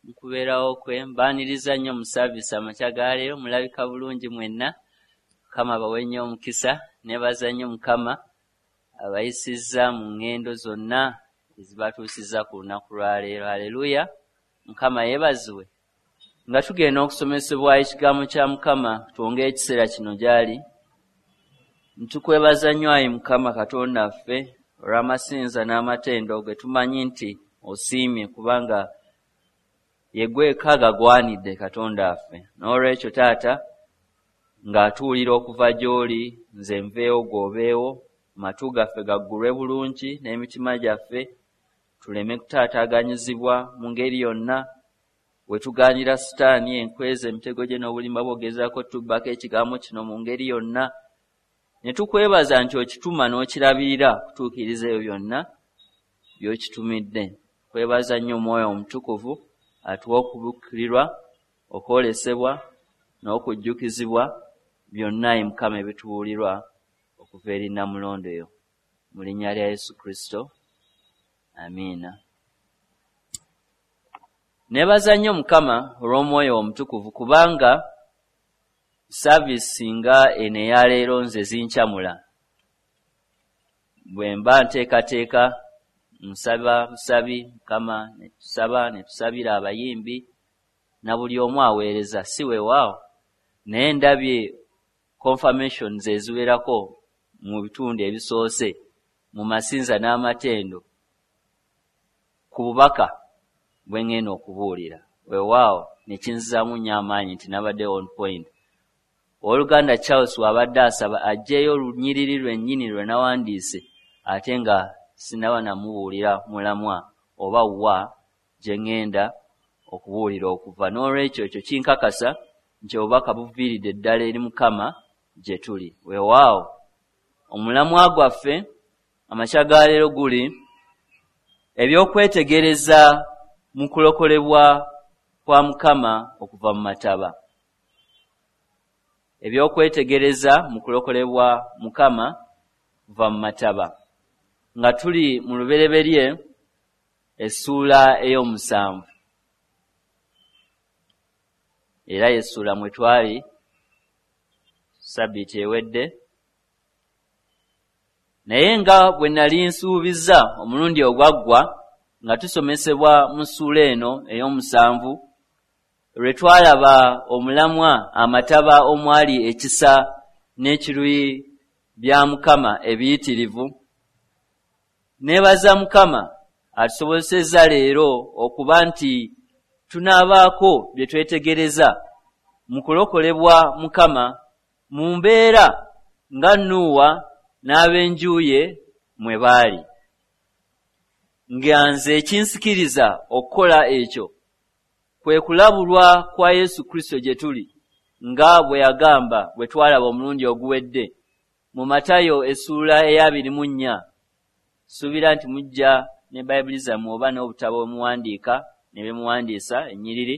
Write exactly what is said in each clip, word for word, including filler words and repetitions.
Mu kubeerawo kwe mbaaniriza nnyo mu service amakya ga leero. Mulabika bulungi mwenna. Mukama abawe nnyo omukisa. Neebaza nnyo Mukama abayisizza mu ŋŋendo zonna ezibatuusizza ku lunaku lwa leero. Haleluya! Mukama yeebazibwe. Nga tugenda okusomesebwa ekigambo kya Mukama, twongere ekiseera kino gy'ali. Ntukwebaza nnyo ayi Mukama Katonda waffe olw'amasinza n'amatendo ge tumanyi nti osiimye, kubanga ye gweka gagwanidde Katonda waffe. N'olwekyo Taata, ng'atuwulira okuva gy'oli, nze nveewo gw'obeewo, amatu gaffe gaggulwe bulungi n'emitima gyaffe, tuleme kutaataaganyizibwa mu ngeri yonna. We tugaanira Sitaani enkweza emitego gye n'obulimba bw'ogezaako tubbako ekigambo kino mu ngeri yonna, ne tukwebaza nti okituma n'okirabirira kutuukiriza ebyo byonna by'okitumidde. Kwebaza nnyo Omwoyo Omutukuvu atuwa okubikkulirwa, okwolesebwa n'okujjukizibwa byonna ayi Mukama ebitubuulirwa okuva eri Nnamulondo eyo. Mu linnya lya Yesu Kristo, amiina. Neebaza nnyo Mukama olw'Omwoyo Omutukuvu, kubanga saavisi nga eno eya leero nze zinkyamula. Bwe mba nteekateeka nsaba busabi Mukama, ne tusaba ne tusabira abayimbi na buli omu aweereza, si weewaawo, naye ndabye confirmations eziwerako mu bitundu ebisoose mu masinza n'amatendo ku bubaka bwe ŋŋenda okubuulira. Weewaawo ne kinzizaamu nnyo amaanyi nti nabadde on point. Owooluganda Charles bw'abadde asaba aggyeyo olunyiriri lwennyini lwe nawandiise, ate nga sinnaba namubuulira mulamwa oba wa gye ŋŋenda okubuulira okuva. N'olwekyo ekyo kinkakasa nti obubaka buviiridde ddala eri Mukama gye tuli. Weewaawo omulamwa gwaffe amakya ga leero guli eby'okwetegereza mu kulokolebwa kwa Mukama okuva mu mataba. Eby'okwetegereza mu kulokolebwa Mukama kuva mu mataba. Nga tuli mu Lubereberye essuula ey'omusanvu, era y'essuula mwe twali sabbiiti ewedde. Naye nga bwe nali nsuubizza omulundi ogwaggwa nga tusomesebwa mu ssuula eno ey'omusanvu, lwe twalaba omulamwa amataba omwali ekisa n'ekiruyi bya Mukama ebiyitirivu. Neebaza Mukama atusobozesezza leero okuba nti tunaabaako bye twetegereza mu kulokolebwa Mukama mu mbeera nga Nuuwa n'ab'enju ye mwe baali. Nga nze ekinsikiriza okukola ekyo kwe kulabulwa kwa Yesu Kristo gye tuli, nga bwe yagamba bwe twalaba omulundi oguwedde mu Matayo essuula ey'abiri mu nnya. Suubira nti mujja ne Bayibuli zammwe oba n'obutabo bwe muwandiika ne bye muwandiisa ennyiriri,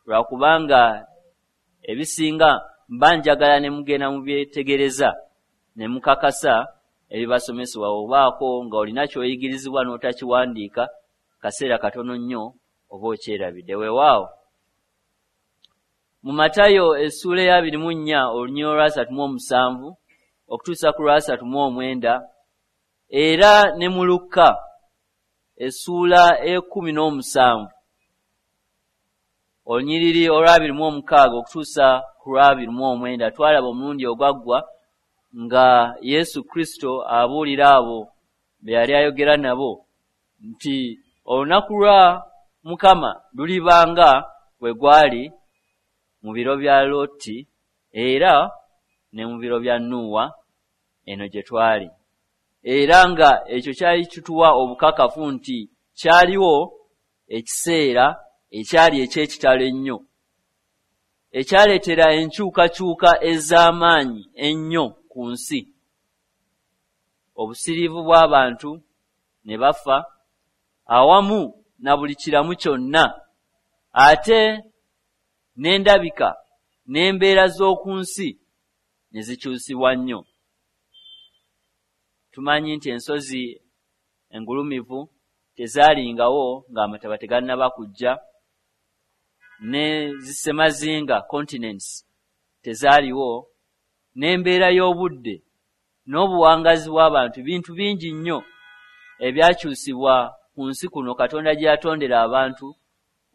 lwakubanga ebisinga mba njagala ne mugenda mubyetegereza ne mukakasa ebibasomesebwa. Obaako nga olina ky'oyigirizibwa n'otakiwandiika, kaseera katono nnyo oba okyerabidde. Weewaawo mu Matayo essuula ey'abiri mu nnya olunyiriri olwasatu mu omusanvu okutuusa ku lwasatu mu omwenda, era ne mu Lukka essuula ey'ekkumi n'omusanvu olunyiriri olw'abiri mu omukaaga okutuusa ku lw'abiri mu omwenda, twalaba omulundi ogwaggwa nga Yesu Kristo abuulira abo be yali ayogera nabo nti olunaku lwa Mukama lulibanga bwe gwali mu biro bya Loti era ne mu biro bya Nuuwa eno gye twali. Era nga ekyo kyali kituwa obukakafu nti kyaliwo ekiseera ekyali eky'ekitalo ennyo, ekyaleetera enkyukakyuka ez'amaanyi ennyo ku nsi. Obusiriivu bw'abantu ne bafa awamu na buli kiramu kyonna, ate n'endabika n'embeera z'oku nsi ne zikyusibwa nnyo. Tumanyi nti ensozi engulumivu tezaalingawo ng'amataba tegannaba kujja. ne zisemazinga continents tezaaliwo, n'embeera y'obudde n'obuwangazi bw'abantu, bintu bingi nnyo ebyakyusibwa ku nsi kuno Katonda gye yatondera abantu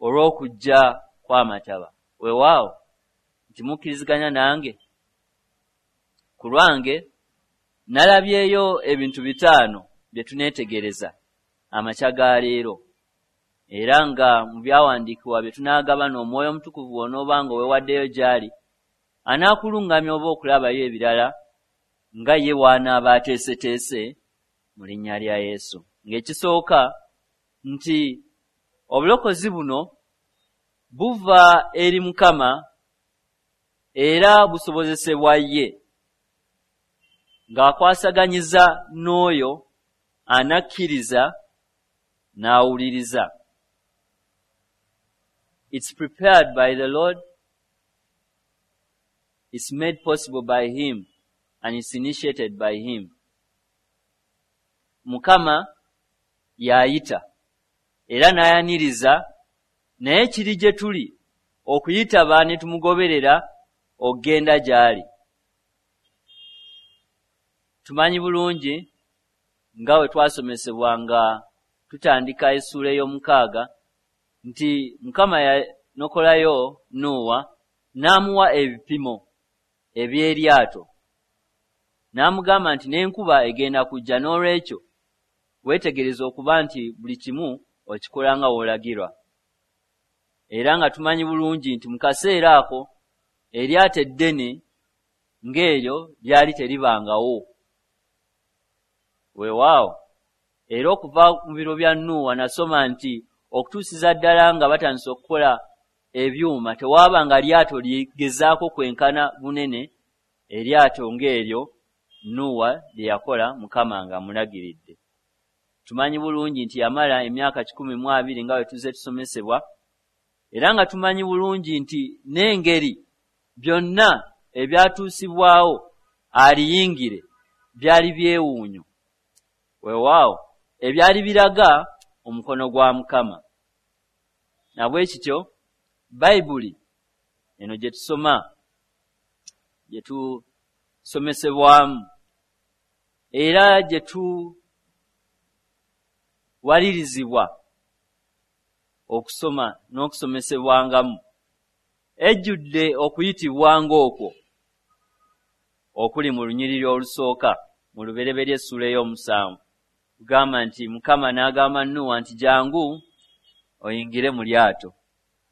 olw'okujja kw'amataba. Weewaawo nti mukkiriziganya nange? Ku lwange nalabyeyo ebintu bitaano bye tuneetegereza amakya ga leero, era nga mu byawandiikibwa bye tunaagabana, Omwoyo Omutukuvu bw'onooba nga weewaddeyo gy'ali, anaakuluŋŋamya oba okulabayo ebirala nga ye w'anaaba ateeseteese mu linnya lya Yesu. Ng'ekisooka nti obulokozi buno buva eri Mukama era busobozesebwa ye, ng'akwasaganyiza n'oyo anakkiriza n'awuliriza. It's prepared by the Lord, it's made possible by him, and it's initiated by him. Mukama y'ayita era n'ayaniriza, naye kiri gye tuli okuyitaba ne tumugoberera okugenda gy'ali. Tumanyi bulungi nga bwe twasomesebwa nga tutandika essuula ey'omukaaga nti Mukama yanokolayo Nuuwa n'amuwa ebipimo eby'eryato, n'amugamba nti n'enkuba egenda kujja, n'olwekyo weetegereze okuba nti buli kimu okikola nga w'olagirwa. Era nga tumanyi bulungi nti mu kaseera ako eryato eddene ng'eryo lyali teribangawo. Weewaawo era okuva mu biro bya Nuuwa nasoma nti okutuusiza ddala nga batandise okukola ebyuma tewaabanga lyato ligezaako kwenkana bunene eryato ng'eryo Nuuwa lye yakola Mukama ng'amulagiridde. Tumanyi bulungi nti yamala emyaka kikumi mu abiri nga bwe tuzze tusomesebwa, era nga tumanyi bulungi nti n'engeri byonna ebyatuusibwawo aliyingire byali byewuunyo. Weewaawo ebyali biraga omukono gwa Mukama. Na bwe kityo Bayibuli eno gye tusoma, gye tusomesebwamu, era gye tuwalirizibwa okusoma n'okusomesebwangamu, ejjudde okuyitibwa ng'okwo okuli mu lunyiriri olusooka mu Lubereberye essuula ey'omusanvu. Kugamba nti Mukama n'agamba Nuuwa nti jangu oyingire mu lyato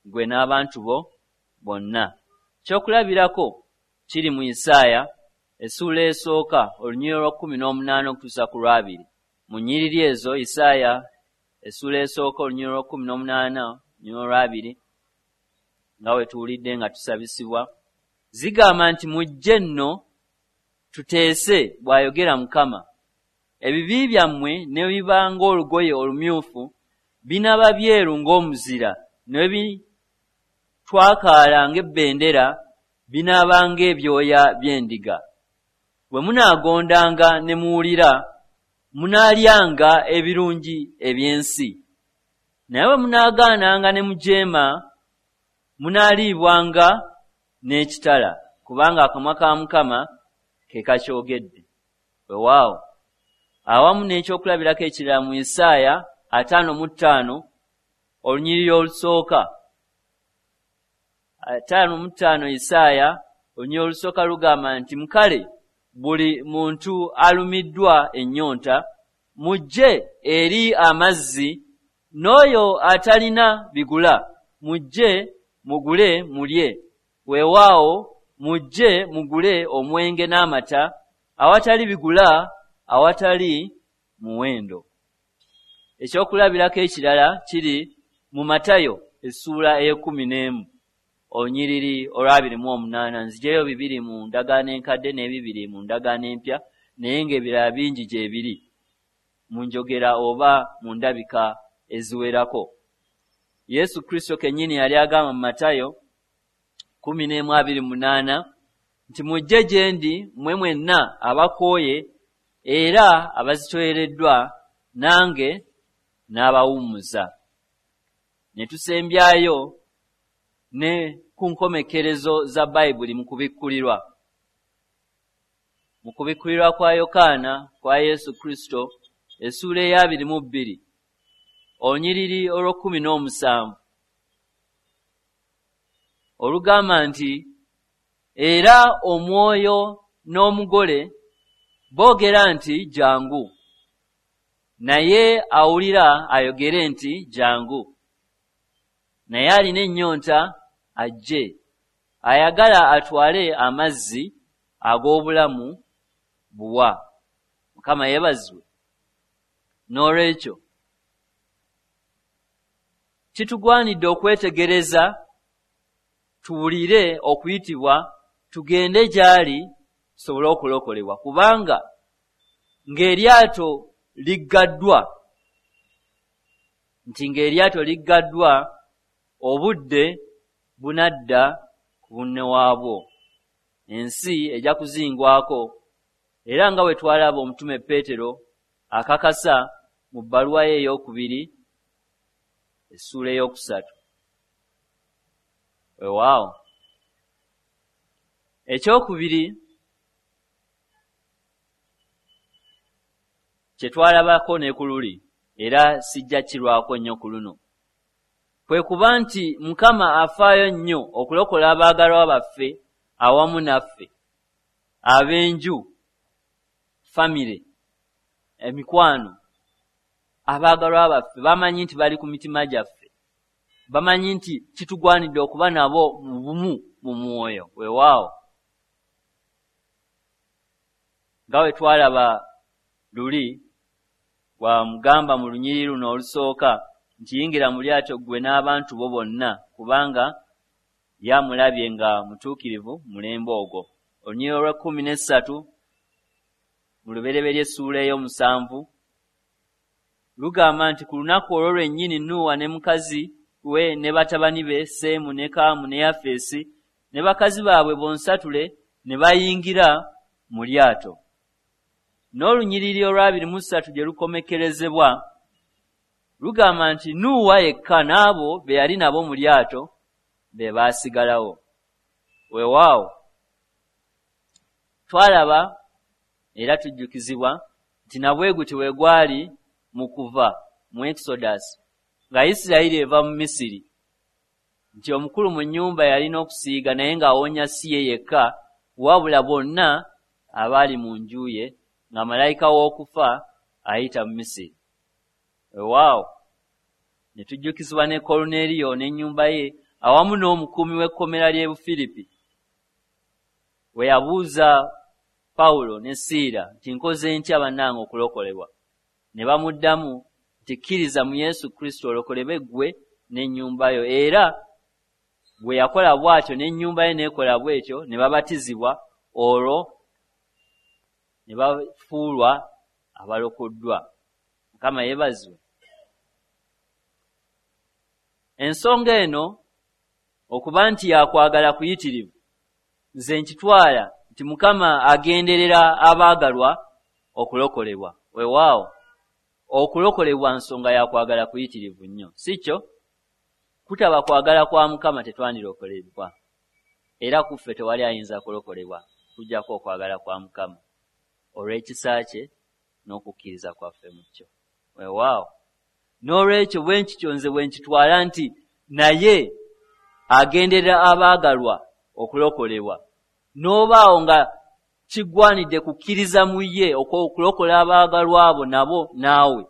ggwe n'abantu bo bonna. Ekyokulabirako kiri mu Isaaya essuula esooka olunyiriri olw'ekkumi n'omunaana okutuusa ku lwabiri. Mu nnyiriri ezo Isaaya essuula esooka olunyiriri olw'ekkumi n'omunaana olunyiriri olw'abiri, nga bwe tuwulidde nga tusabisibwa, zigamba nti mujje nno tuteese, bw'ayogera Mukama, ebibi byammwe ne biba ng'olugoye olumyufu, binaaba byeru ng'omuzira, ne bitwakaala ng'ebbendera, binaaba ng'ebyoya by'endiga. Bwe munaagondanga ne muwulira, munaalyanga ebirungi eby'ensi. Naye bwe munaagaananga ne mujeema, munaaliibwanga n'ekitala, kubanga akamwa ka Mukama ke kakyogedde. Weewaawo awamu n'ekyokulabirako ekirala mu Isaaya ataano mu ttaano olunyiriri olusooka, ataano mu ttaano Isaaya olunyiriri olusooka lugamba nti mukale buli muntu alumiddwa ennyonta mujje eri amazzi, n'oyo atalina bigula mujje mugule mulye. Weewaawo mujje mugule omwenge n'amata awatali bigula, awatali muwendo. Ekyokulabirako ekirala kiri mu Matayo essuula ey'ekkumi n'emu olunyiriri olw'abiri mu omunaana. Nziggyeyo bibiri mu ndagaano enkadde n'ebibiri mu ndagaano empya, naye ng'ebirala bingi gye biri mu njogera oba mu ndabika eziwerako. Yesu Kristo kennyini yali agamba mu Matayo kkumi n'emu abiri munaana nti mujje gye ndi mmwe mwenna abakooye era abazitowereddwa, nange n'abawummuza. Ne tusembyayo ne ku nkomekkerezo za Bayibuli mu kubikkulirwa. Mu kubikkulirwa kwa Yokaana kwa Yesu Kristo, essuula ey'abiri mu bbiri, olunyiriri olw'ekkumi n'omusanvu, olugamba nti, era omwoyo n'omugole boogera nti jangu, naye awulira ayogere nti jangu, naye alina ennyonta ajje, ayagala atwale amazzi ag'obulamu buwa. Mukama yeebazibwe. N'olwekyo kitugwanidde okwetegereza, tuwulire okuyitibwa, tugende gy'ali tusobole okulokolebwa, kubanga ng'eryato liggaddwa, nti ng'eryato liggaddwa, obudde bunadda ku bunne waabwo, ensi ejja kuzingwako. Era nga bwe twalaba omutume Peetero akakasa mu bbaluwa ye ey'okubiri essuula ey'okusatu. Weewaawo. Ekyokubiri kye twalabako ne ku luli, era sijja kirwako nnyo ku luno, kwe kuba nti Mukama afaayo nnyo okulokola abaagalwa baffe awamu naffe, ab'enju, famire, emikwano. Abaagalwa baffe bamanyi nti bali ku mitima gyaffe, bamanyi nti kitugwanidde okuba nabo mu bumu mu mwoyo. Weewaawo, nga bwe twalaba luli, bwamugamba mu lunyiriri luno olusooka nti yingira mu lyato ggwe n'abantu bo bonna, kubanga yamulabye nga mutuukirivu mulembe ogwo. Olunyiriri olw'ekkumi n'essatu mu Lubereberye essuula ey'omusanvu lugamba nti ku lunaku olwo lwennyini Nuuwa ne mukazi we ne batabani be Seemu ne Kaamu ne Yafeesi ne bakazi baabwe bonsatule ne bayingira mu lyato. N'olunyiriri olw'abiri mu ssatu gye lukomekkerezebwa lugamba nti Nuuwa yekka n'abo be yali nabo mu lyato be baasigalawo. Weewaawo, twalaba era tujjukizibwa nti nabwe gutyo bwe gwali mu kuva mu Exodus, nga Isirayiri eva mu Misiri, nti omukulu mu nnyumba yalina okusiiga naye ng'awonya si ye yekka, wabula bonna abaali mu nju ye, nga malayika w'okufa ayita mu Misiri. Weewaawo, ne tujjukizibwa ne Koluneeriyo n'ennyumba ye awamu n'omukuumi w'ekkomera ly'e Bufiripi, we yabuuza Pawulo ne Siira nti nkoze ntya bannange okulokolebwa? Ne bamuddamu nti kkiriza mu Yesu Kristo olokolebwe ggwe n'ennyumba yo. Era bwe yakola bw'atyo n'ennyumba ye n'ekola bw'etyo, ne babatizibwa, olwo ne bafuulwa abalokoddwa. Mukama yeebazibwe. Ensonga eno okuba nti yakwagala kuyitirivu, nze nkitwala nti Mukama agenderera abaagalwa okulokolebwa. Weewaawo, okulokolebwa nsonga yakwagala kuyitirivu nnyo, si kyo? Kutaba kwagala kwa Mukama tetwandirokolebwa, era kuffe tewali ayinza kulokolebwa kujjako okwagala kwa Mukama olw'ekisa kye n'okukkiriza kwaffe mu kyo. Weewaawo, n'olwekyo bwe nkityo nze bwe nkitwala nti naye agenderera abaagalwa okulokolebwa, n'obaawo nga kigwanidde kukkiriza mu ye okulokola abaagalwa abo nabo naawe,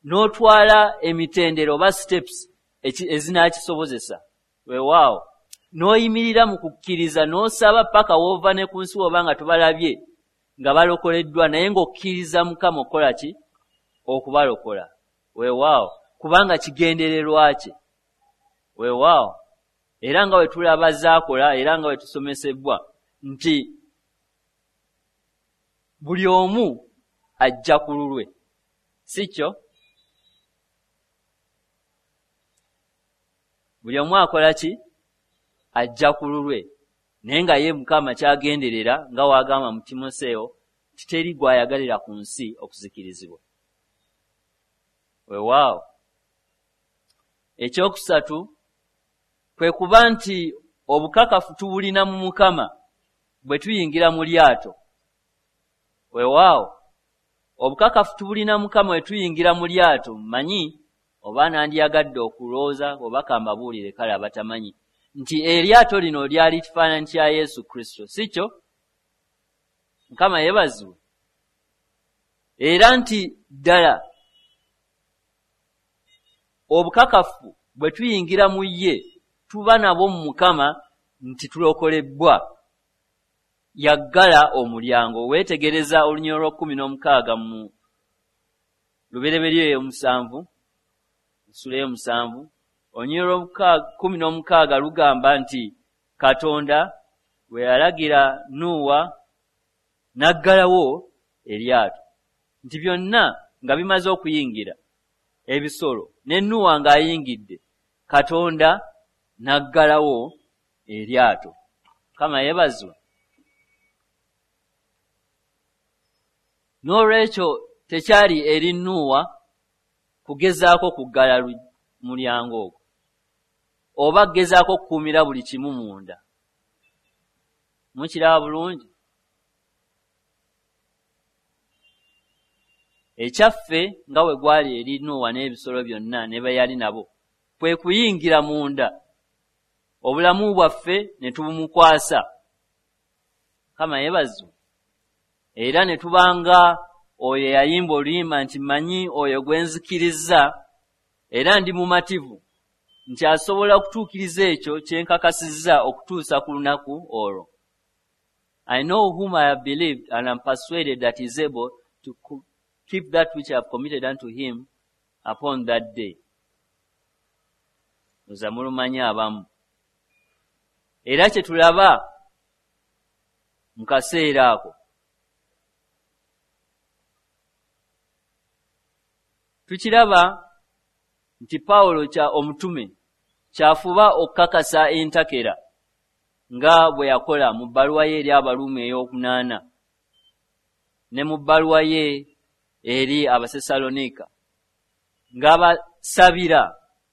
n'otwala emitendera oba steps ezinaakisobozesa. Weewaawo, n'oyimirira mu kukkiriza n'osaba paka w'ova ne ku nsi oba nga tobalabye nga balokoleddwa, naye ng'okkiriza Mukama okukola ki? Okubalokola. Weewaawo, kubanga kigendererwa kye. Weewaawo, era nga bwe tulaba zaakola, era nga bwe tusomesebwa nti buli omu ajja ku lulwe, si kyo? Buli omu akola ki? Ajja ku lulwe, naye nga ye Mukama kyagenderera nga w'agamba mu Timoseewo nti teri gw'ayagalira ku nsi okuzikirizibwa. Weewaawo, ekyokusatu Kwe kuba nti obukakafu tubulina mu Mukama bwe tuyingira mu lyato. Weewaawo, obukakafu tubulina Mukama bwe tuyingira mu lyato. Mmanyi oba nandyagadde okulowooza oba kambabuulire kale abatamanyi nti eryato lino lyali kifaananyi kya Yesu Kristo, si kyo? Mukama yeebazibwe. Era nti ddala obukakafu bwe tuyingira mu ye tuba nabwo mu Mukama nti tulokolebbwa. Yaggala omulyango. Weetegereza olunyiriri lw'ekkumi n'omukaaga mu Lubereberye ey'omusanvu, essula ey'omusanvu, olunyiriri lw'ekkumi n'omukaaga lugamba nti Katonda bwe yalagira Nuuwa n'aggalawo eryato, nti byonna nga bimaze okuyingira ebisolo ne Nuuwa ng'ayingidde, Katonda n'aggalawo eryato. Mukama yeebazibwe. N'olwekyo tekyali eri Nuuwa kugezaako kuggala mulyango ogwo oba kugezaako okukuumira buli kimu munda. Mukiraba bulungi? Ekyaffe nga bwe gwali eri Nuuwa n'ebisolo byonna ne be yali nabo kwe kuyingira munda, obulamu bwaffe ne tubumukwasa. Mukama yeebazibwe. Era ne tubanga oyo eyayimba oluyimba nti mmanyi oyo gwe nzikirizza era ndi mumativu nti asobola okutuukiriza ekyo kye nkakasizza okutuusa ku lunaku olwo. I know whom I have believed and am persuaded that he is able to keep that which I have committed unto him upon that day. Nza mulumanyi abamu. Era kye tulaba mu kaseera ako tukiraba nti Pawulo kya omutume kyafuba okukakasa entakera nga bwe yakola mu bbaluwa ye eri Abaruumi ey'okunaana ne mu bbaluwa ye eri Abasessaloniika, ng'abasabira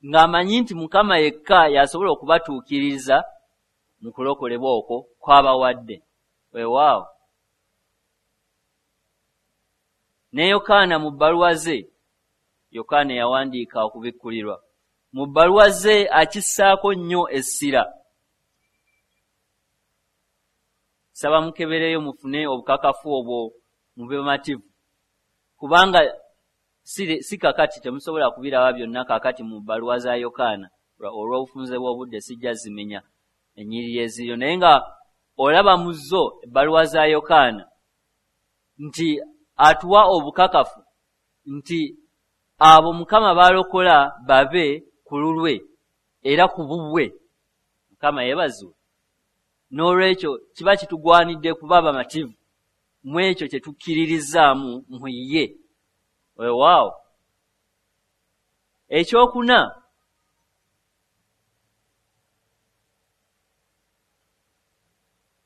ng'amanyi nti Mukama yekka y'asobola okubatuukiriza mu kulokolebwa okwo kw'abawadde. Weewaawo, ne Yokaana mu bbaluwa ze, Yokaana yawandiika okubikkulirwa, mu bbaluwa ze akissaako nnyo essira. Saba mukebereyo mufune obukakafu obwo mube bamativu, kubanga si, si kakati temusobola kubiraba byonna kakati mu bbaluwa za Yokaana olw'obufunze bw'obudde sijja zimenya ennyiriri eziriyo, naye nga olaba mu zo ebbaluwa za Yokaana nti atuwa obukakafu nti abo Mukama balokola babe ku lulwe era ku bubwe. Mukama yeebazibwe. N'olwekyo kiba kitugwanidde kuba bamativu mu ekyo kye tukkiririzaamu mu ye. Weewaawo. Ekyokuna,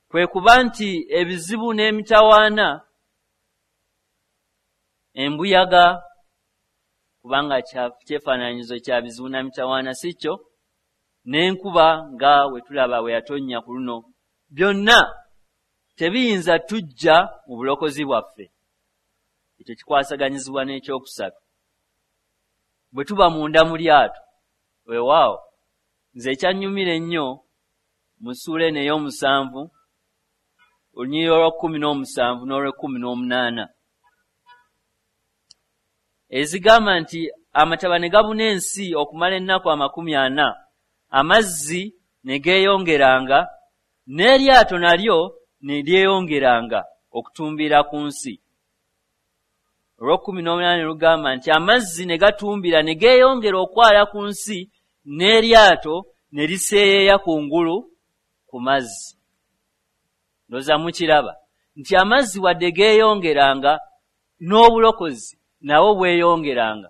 kwe kuba nti ebizibu n'emitawaana, embuyaga, kubanga kyefaananyizo kya bizibu na mitawaana, si kyo? N'enkuba nga we tulaba we yatonnya ku luno, byonna tebiyinza tujja mu bulokozi bwaffe. Ekyo kikwasaganyizibwa n'ekyokusatu bwe tuba munda mu lyato. Weewaawo, nze ekyannyumira ennyo mu ssuula eno ey'omusanvu, olunyiriri olw'ekkumi n'omusanvu n'olw'ekkumi n'omunaana, ezigamba nti amataba ne gabuna ensi okumala ennaku amakumi ana, amazzi ne geeyongeranga, n'eryato nalyo ne lyeyongeranga okutumbira ku nsi. Olw'ekkumi n'omunaana ne lugamba nti amazzi ne gatumbira ne geeyongera okwala ku nsi, n'eryato ne liseeyeeya kungulu ku mazzi. Ndowooza mukiraba nti amazzi wadde geeyongeranga, n'obulokozi nabwo bweyongeranga.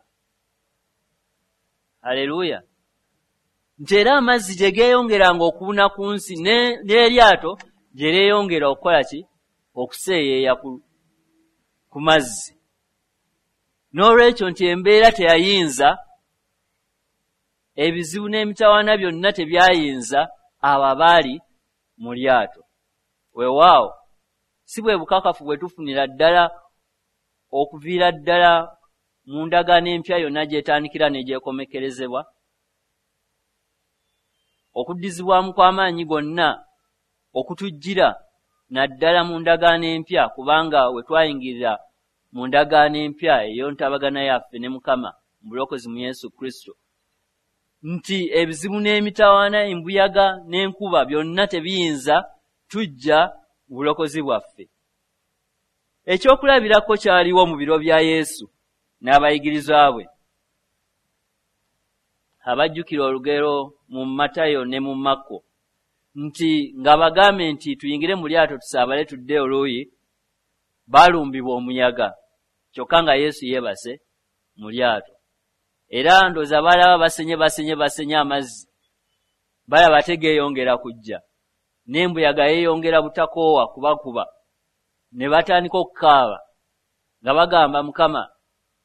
Haleluya! Nti era amazzi gye geeyongeranga okubuna ku nsi, n'eryato gye lyeyongera okukola ki? Okuseeyeeya ku, ku mazzi. N'olwekyo nti embeera teyayinza Ebizibu n'emitawaana byonna tebyayinza abo abaali mu lyato. Weewaawo, si bwe bukakafu bwe tufunira ddala okuviira ddala mu ndagaano empya yonna gy'etandikira ne gy'ekomekkerezebwa? Okuddizibwamu kw'amaanyi gonna okutujjira naddala mu ndagaano empya, kubanga we twayingirira mu ndagaano empya ey'entabagana yaffe ne Mukama mu bulokozi mu Yesu Kristo, nti ebizibu n'emitawaana, embuyaga n'enkuba byonna tebiyinza tujja mu bulokozi bwaffe. Ekyokulabirako kyaliwo mu biro bya Yesu n'abayigirizwa bwe. Abajjukira olugero mu Matayo ne mu Makko nti ng'abagambe nti tuyingire mu lyato tusaabale tudde oluuyi, baalumbibwa omuyaga, kyokka nga Yesu yeebase mu lyato. Era ndowooza baalaba basenye basenye basenye amazzi, balaba tegeeyongera kujja, n'embuyaga yeeyongera butakoowa kubakuba, ne batandika okukaaba nga bagamba Mukama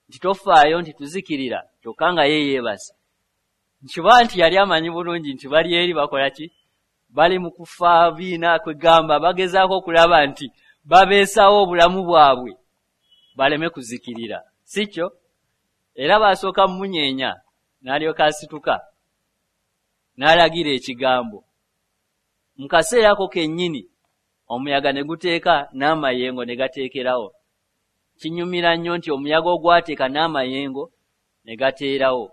nti tofaayo nti tuzikirira, kyokka nga ye yeebase. Nkiba nti yali amanyi bulungi nti bali eri bakola ki? Bali mu kufa biina, kwegamba bagezaako okulaba nti babeesawo obulamu bwabwe baleme kuzikirira, si kyo? Era baasooka mumunyeenya, n'alyoka asituka n'alagira ekigambo. Mu kaseera ako kennyini omuyaga ne guteeka n'amayengo ne gateekerawo. Kinyumira nnyo nti omuyaga ogwateeka n'amayengo ne gateerawo.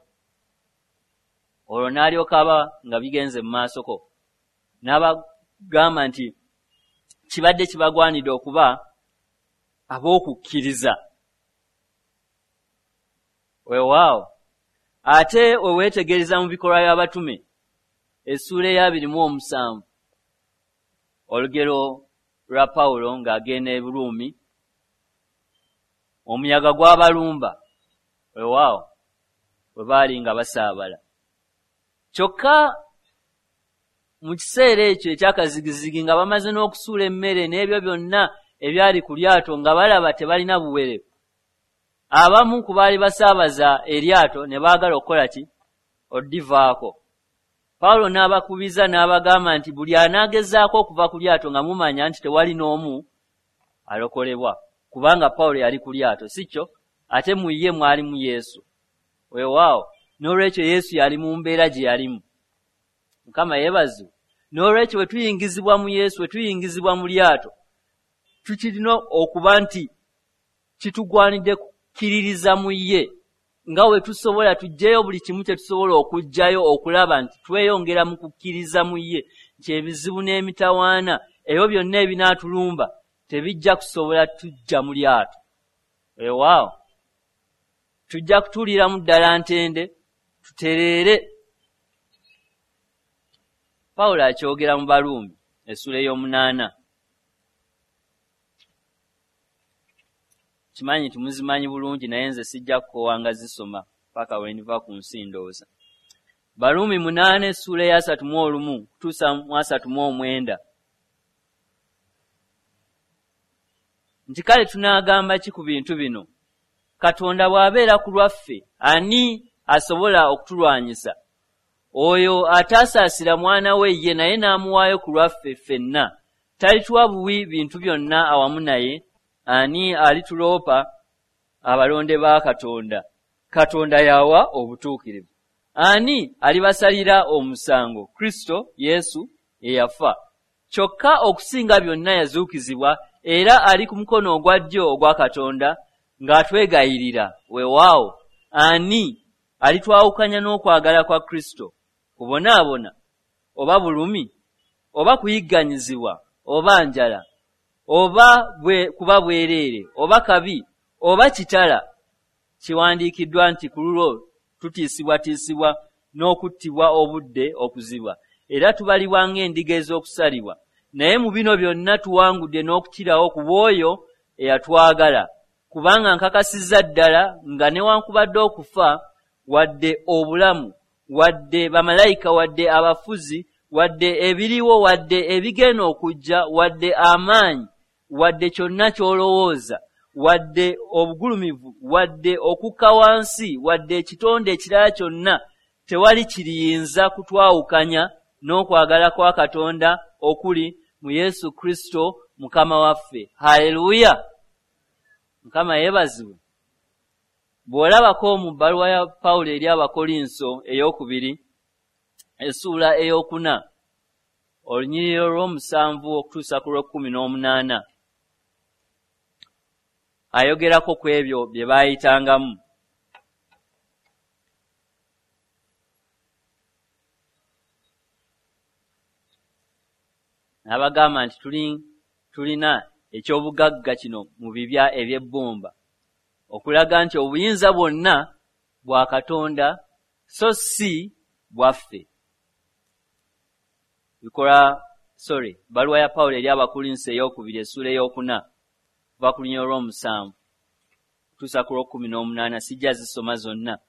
Olwo n'alyoka aba nga bigenze mu maasoko, n'abagamba nti kibadde kibagwanidde okuba ab'okukkiriza. Weewaawo, ate we weetegereza mu bikolwa by'abatume essuula ey'abiri mu omusanvu, olugero lwa Pawulo ng'agenda e Buruumi, omuyaga gwabalumba. Weewaawo, bwe baali nga basaabala. Kyokka mu kiseera ekyo ekyakazigizigi nga bamaze n'okusuula emmere n'ebyo byonna ebyali ku lyato, nga balaba tebalina buwere, abamu ku baali basaabaza eryato ne baagala okukola ki? Oddivaako. Pawulo n'abakubiza n'abagamba nti buli anaagezaako okuva ku lyato nga mumanya nti tewali n'omu alokolebwa, kubanga Pawulo yali ku lyato, si kyo? Ate mu ye mwalimu Yesu. Weewaawo, n'olwekyo Yesu yali mu mbeera gye yalimu. Mukama yeebazibwe. N'olwekyo bwe tuyingizibwa mu Yesu, bwe tuyingizibwa mu lyato, tukirina okuba nti kitugwanidde kukkiririza mu ye nga we tusobola, tuggyeyo buli kimu kye tusobola okuggyayo okulaba nti tweyongera mu kukkiriza mu ye, nti ebizibu n'emitawaana ebyo byonna ebinaatulumba tebijja kusobola tujja mu lyato. Weewaawo, tujja kutuuliramu ddala ntende, tutereere. Pawulo akyogera mu Baruumi essuula ey'omunaana. Kimanyi nti muzimanyi bulungi, naye nze sijja kukoowanga zisoma paka we ndiva ku nsi ndowooza. Baruumi munaana essuula ey'asatu mu olumu kutuusa mu asatu mu omwenda. Nti kale tunaagamba ki ku bintu bino? Katonda bw'abeera ku lwaffe, ani asobola okutulwanyisa? Oyo ataasaasira mwana we ye naye n'amuwaayo ku lwaffe ffenna, talituwa buwi bintu byonna awamu naye? Ani alituloopa abalonde ba Katonda? Katonda y'awa obutuukirivu. Ani alibasalira omusango? Kristo Yesu eyafa. Kyokka okusinga byonna yazuukizibwa, era ali ku mukono ogwa ddyo ogwa Katonda ng'atwegayirira. Weewaawo, ani alitwawukanya n'okwagala kwa Kristo? Kubonaabona, oba bulumi, oba kuyigganyizibwa, oba njala, oba bwe kuba bwereere, oba kabi, oba kitala? Kiwandiikiddwa nti ku lulwo tutiisibwatiisibwa n'okuttibwa obudde okuziba, era tubalibwa ng'endiga ez'okusalibwa. Naye mu bino byonna tuwangudde n'okukirawo ku bw'oyo eyatwagala. Kubanga nkakasizza ddala nga newankubadde okufa, wadde obulamu, wadde bamalayika, wadde abafuzi, wadde ebiriwo, wadde ebigenda okujja, wadde amaanyi, wadde kyonna ky'olowooza, wadde obugulumivu, wadde okukka wansi, wadde ekitonde ekirala kyonna tewali kiriyinza kutwawukanya n'okwagala kwa Katonda okuli mu Yesu Kristo Mukama waffe. Haleluya! Mukama yeebazibwe. Bw'olabako mu bbaluwa ya Pawulo eri Abakolinso ey'okubiri essuula ey'okuna olunyiriri olw'omusanvu okutuusa ku lw'ekkumi n'omunaana, ayogerako ku ebyo bye baayitangamu. N'abagamba nti tulina eky'obugagga kino mu bibya eby'ebbumba, okulaga nti obuyinza bwonna bwa Katonda so si bwaffe. Bikola sorry, bbaluwa ya Pawulo eri Abakolinso ey'okubiri essuula ey'okuna kuva ku lunyiriri olw'omusanvu okutuusa ku lw'ekkumi n'omunaana, sijja zisoma zonna.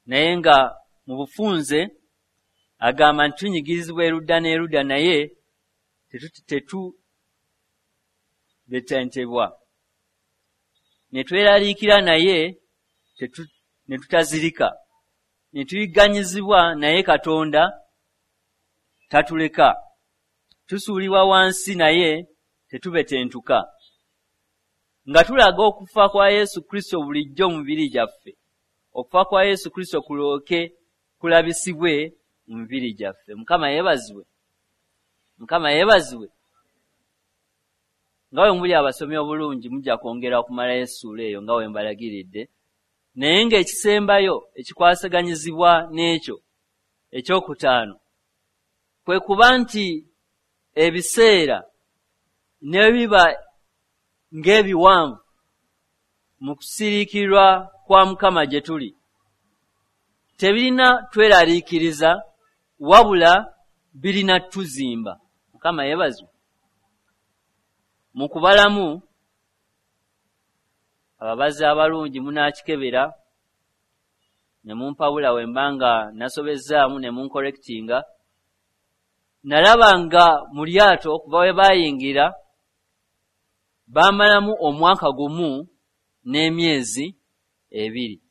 Naye nga mu bufunze agamba nti tunyigirizibwa erudda n'erudda naye tetubetentebwa, ne tweraliikira naye ne tutazirika, ne tuyigganyizibwa naye Katonda tatuleka, tusuulibwa wansi naye tetubetentuka, nga tulaga okufa kwa Yesu Kristo bulijjo mu mibiri gyaffe, okufa kwa Yesu Kristo kulyoke kulabisibwe mu mibiri gyaffe. Mukama yeebazibwe. Mukama yeebazibwe. Nga bwe muli abasomi obulungi mujja kwongera okumalayo essuula eyo nga bwe mbalagiridde, naye ng'ekisembayo ekikwasaganyizibwa n'ekyo ekyokutaano kwe kuba nti ebiseera ne biba ng'ebiwanvu mu kusiriikirwa kwa Mukama gye tuli tebirina tweraliikiriza, wabula birina tuzimba. Mukama yeebazibwe. Mu kubalamu ababazi abalungi munaakikebera ne mumpabula we mba nga nasobezzaamu ne munkorekitinga. Nalaba nga mu lyato okuva we baayingira baamalamu omwaka gumu n'emyezi ebiri.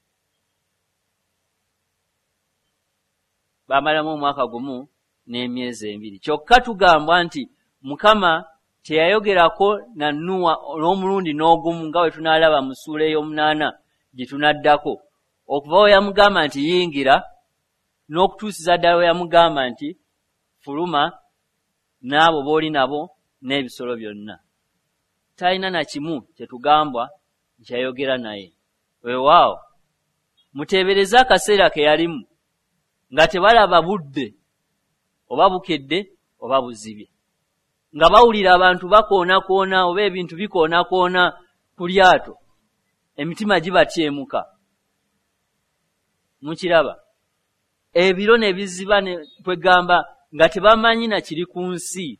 Baamalamu omwaka gumu n'emyezi ebiri. Kyokka tugambwa nti Mukama teyayogerako na Nuwa n'omulundi n'ogumu nga bwe tunaalaba mu ssuula ey'omunaana gye tunaddako, okuva we yamugamba nti yingira n'okutuusiza ddala we yamugamba nti fuluma n'abo b'oli nabo n'ebisolo byonna. Talina na kimu kye tugambwa nti yayogera naye. Weewaawo muteebereze akaseera ke yalimu nga tebalaba budde oba bukedde oba buzibye, nga bawulira abantu bakoonakoona oba ebintu bikoonakoona ku lyato, emitima gibatyemuka. Mukiraba ebiro ne biziba ne kwegamba nga tebamanyi na kiri ku nsi,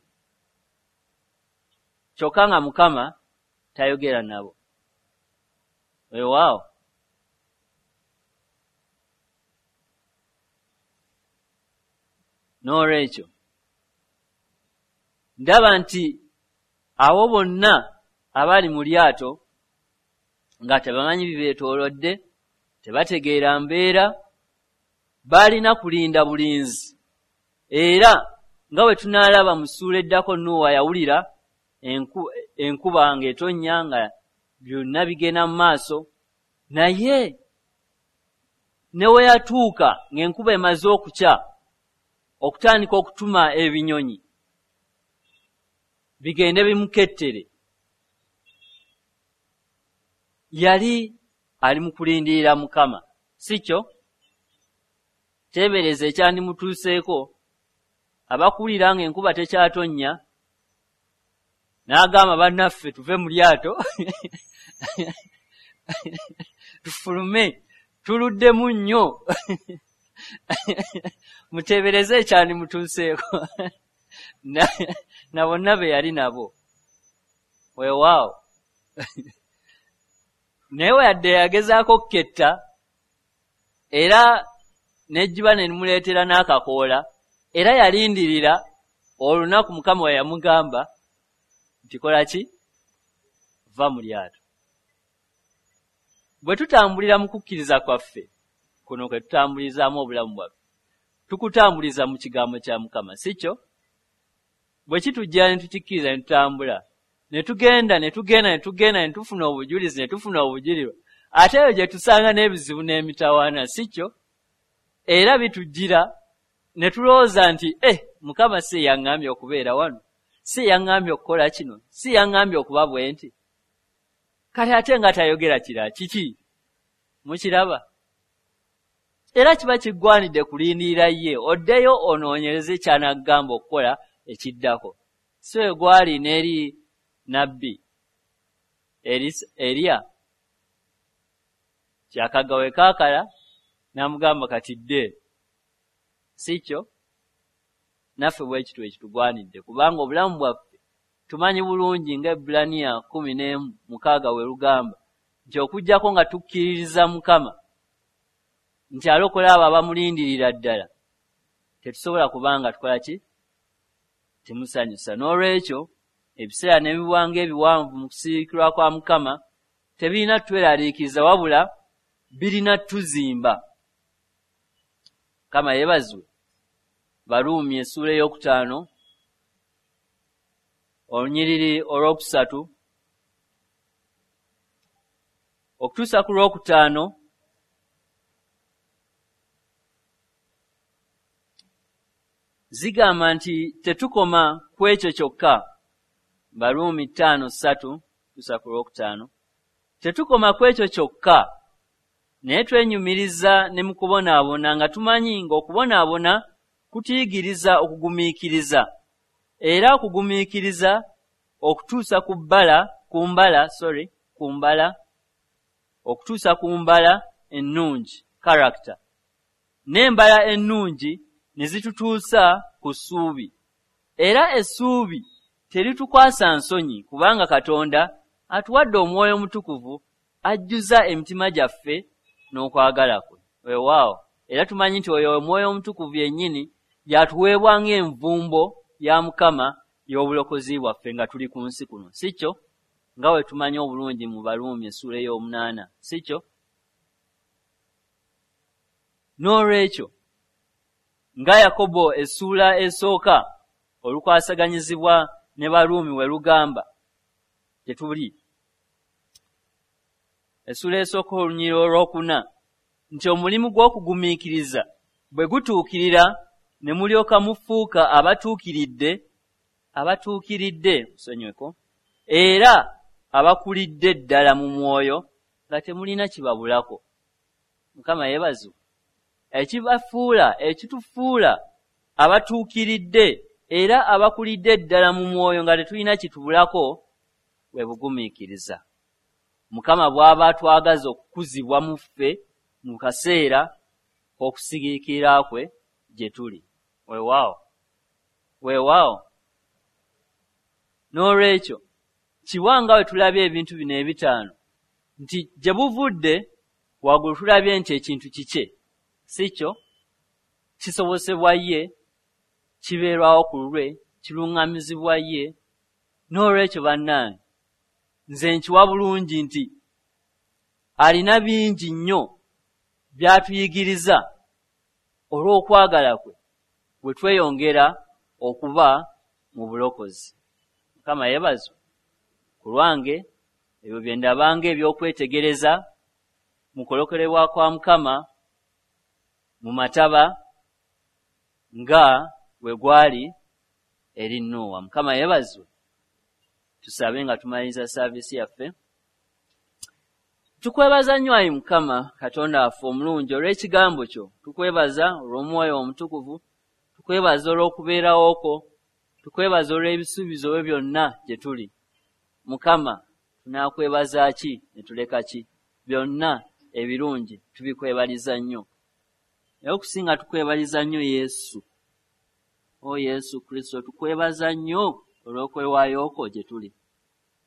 kyokka nga Mukama tayogera nabo. Weewaawo n'olwekyo ndaba nti abo bonna abali mu lyato nga tebamanyi bibeetoolodde, tebategeera mbeera, baalina kulinda bulinzi. Era nga bwe tunaalaba mu ssuula eddako, Nuwa yawulira enkuba ng'etonnya nga byonna bigenda mu maaso, naye ne we yatuuka ng'enkuba emaze okukya okutandika okutuma ebinyonyi bigende bimukettere, yali ali mu kulindirira Mukama, si kyo? Teebereza ekyandimutuuseeko abakuwulira ng'enkuba tekyatonnya n'agamba bannaffe tuve mu lyato tufulume, tuluddemu nnyo. Muteebereze ekyandimutuuseeko na bonna be yali nabo. Weewaawo naye we yadde yagezaako okuketta era n'ejjiba ne limuleetera n'akakoola, era yalindirira olunaku Mukama we yamugamba nti kola ki? Va mu lyato. Bwe tutambulira mu kukkiriza kwaffe Kuno kwe tutambulizaamu obulamu bwaffe. Tukutambuliza mu kigambo kya Mukama, si kyo? Bwe kitujja ne tukikkiriza ne tutambula, ne tugenda ne tugenda ne tugenda ne tufuna obujulizi ne tufuna obujulirwa, ate eyo gye tusanga n'ebizibu n'emitawaana, si kyo? Era bitujjira ne tulowooza nti eh, Mukama si yaŋŋambye okubeera wano, si yaŋŋambye okukola kino, si yaŋŋambye okuba bwe nti. Kati ate nga tayogera kirala kiki? Mukiraba? Era kiba kiggwanidde kulindirira ye, oddeyo onoonyereze ky'anaagamba okukola ekiddako. Si we gwali n'eri nabbi Eriya, kyakagga we kaakala n'amugamba kati dde. Si kyo? Naffe bwe kityo ekitugwanidde, kubanga obulamu bwaffe tumanyi bulungi nga Ebbulaniya kkumi n'emu mukaaga we lugamba nti okuggyako nga tukkiririza Mukama nti alokola abo abamulindirira ddala, tetusobola kubanga tukola ki? Temusanyusa. N'olwekyo ebiseera n'ebiwanga ebiwanvu mu kusiikirwa kwa Mukama tebirina tweraliikiriza, wabula birina tuzimba. Mukama yeebazibwe. Baruumi essuula ey'okutaano olunyiriri olwokusatu okutuusa ku lwokutaano zigamba nti tetukoma ku ekyo kyokka. Baruumi ttaano ssatu kutuusa ku lwokutaano, tetukoma ku ekyo kyokka, naye twenyumiriza ne mu kubonaabona, nga tumanyi ng'okubonaabona kutuyigiriza okugumiikiriza, era okugumiikiriza okutuusa ku bbala ku mbala sorry ku mbala okutuusa ku mbala ennungi, character, n'embala ennungi ne zitutuusa ku ssuubi. Era essuubi teritukwasa nsonyi, kubanga Katonda atuwadde Omwoyo Omutukuvu ajjuza emitima gyaffe n'okwagala kwe. Weewaawo, era tumanyi nti oyo Omwoyo Omutukuvu yennyini yatuweebwa ng'envumbo ya Mukama y'obulokozi bwaffe nga tuli ku nsi kuno, si kyo? Nga bwe tumanyi obulungi mu Baruumi essuula ey'omunaana, si kyo? N'olwekyo nga Yakobo essuula esooka olukwasaganyizibwa ne Baruumi we lugamba tetuli, essuula esooka olunyiriri olwokuna nti omulimu gw'okugumiikiriza bwe gutuukirira ne mulyoka mufuuka abatuukiridde abatuukiridde musonyiweko era abakulidde ddala mu mwoyo nga temulina kibabulako. Mukama yeebazibwe. Ekibafuula ekitufuula abatuukiridde era abakulidde ddala mu mwoyo nga tetulina kitubulako bwe bugumiikiriza. Mukama bw'aba atwagaza okukuzibwa mu ffe mu kaseera k'okusigiikirira kwe gye tuli. Weewaawo, weewaawo. N'olwekyo kiwa nga bwe tulabye ebintu bino ebitaano nti gye buvudde waggulu tulabye nti ekintu kikye, si kyo? Kisobosebwa ye, kibeerwawo ku lulwe, kiruŋŋamizibwa ye. N'olwekyo bannange nze nkiwa bulungi nti alina bingi nnyo by'atuyigiriza olw'okwagala kwe bwe tweyongera okuba mu bulokozi. Mukama yeebazibwe. Ku lwange ebyo bye ndabanga eby'okwetegereza mu kulokolebwa kwa Mukama mu mataba nga bwe gwali eri Nuuwa. Mukama yeebazibwe. Tusabe nga tumaliriza saaviisi yaffe. Tukwebaza nnyo ayi Mukama Katonda waffe omulungi olw'ekigambo kyo. Tukwebaza olw'Omwoyo Omutukuvu, tukwebaza olw'okubeerawo kwo, tukwebaza olw'ebisuubizo byo byonna gye tuli. Mukama, tunaakwebaza ki ne tuleka ki? Byonna ebirungi tubikwebaliza nnyo. Naye okusinga tukwebaliza nnyo Yesu. O Yesu Kristo, tukwebaza nnyo olw'okwewaayo kwo gye tuli.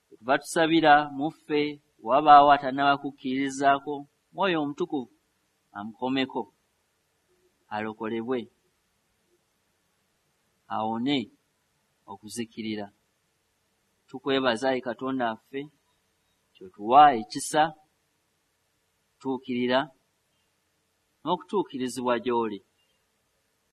Tuva tusabira mu ffe wabaawo atannaba kukkirizaako Mwoyo Omutukuvu amukomeko, alokolebwe, awone okuzikirira. Tukwebaza ayi Katonda waffe kyotuwa ekisa tuukirira n'okutuukirizibwa gy'oli.